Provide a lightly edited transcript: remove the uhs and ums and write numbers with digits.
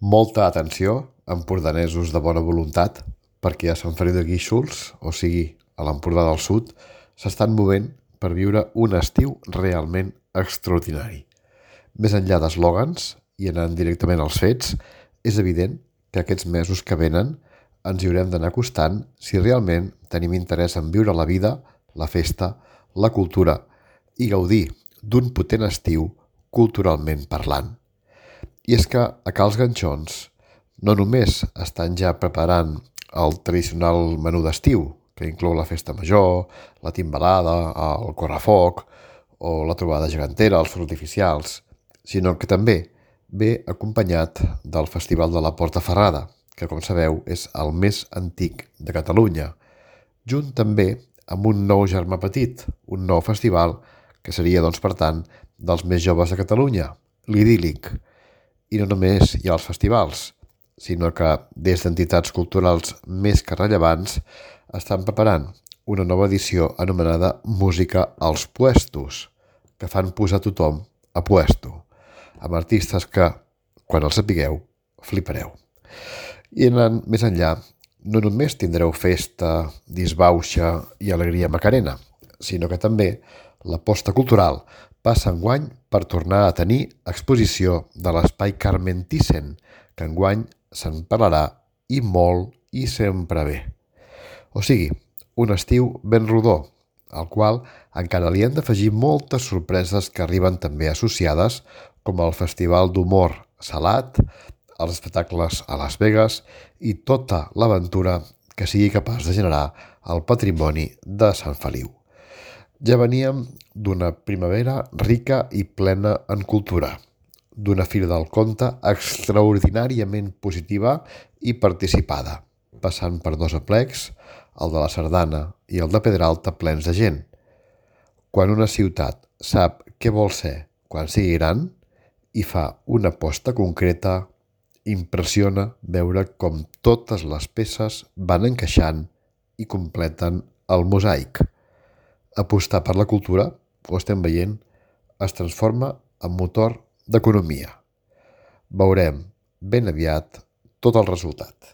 Molta atenció, empordanesos de bona voluntat, perquè a Sant Feliu de Guíxols, o sigui, a l'Empordà del Sud, s'estan movent per viure un estiu realment extraordinari. Més enllà d'eslògans i anant directament als fets, és evident que aquests mesos que venen ens hi haurem d'anar acostant si realment tenim interès en viure la vida, la festa, la cultura i gaudir d'un potent estiu culturalment parlant. I és que a Cals Ganxons no només estan ja preparant el tradicional menú d'estiu, que inclou la festa major, la timbalada, el correfoc o la trobada gegantera, els focs artificials, sinó que també ve acompanyat del Festival de la Porta Ferrada, que com sabeu és el més antic de Catalunya, junt també amb un nou germà petit, un nou festival que seria, doncs, per tant, dels més joves de Catalunya, l'Idíl·lic. I no només hi ha els festivals, sinó que des d'entitats culturals més que rellevants estan preparant una nova edició anomenada Música als Puestos, que fan posar tothom a puesto, amb artistes que, quan els sapigueu, flipareu. I anant més enllà, no només tindreu festa, disbauxa i alegria macarena, sinó que també l'aposta cultural passa enguany per tornar a tenir exposició de l'Espai Carmen Thyssen, que enguany se'n parlarà i molt i sempre bé. O sigui, un estiu ben rodó, al qual encara li han d'afegir moltes sorpreses que arriben també associades, com el Festival d'Humor Salat, els espectacles a Las Vegas i tota l'aventura que sigui capaç de generar el patrimoni de Sant Feliu. Ja veníem d'una primavera rica i plena en cultura, d'una Fira del Conte extraordinàriament positiva i participada, passant per dos aplecs, el de la Sardana i el de Pedralta plens de gent. Quan una ciutat sap què vol ser quan sigui gran i fa una aposta concreta, impressiona veure com totes les peces van encaixant i completen el mosaic. Apostar per la cultura, ho estem veient, es transforma en motor d'economia. Veurem ben aviat tot el resultat.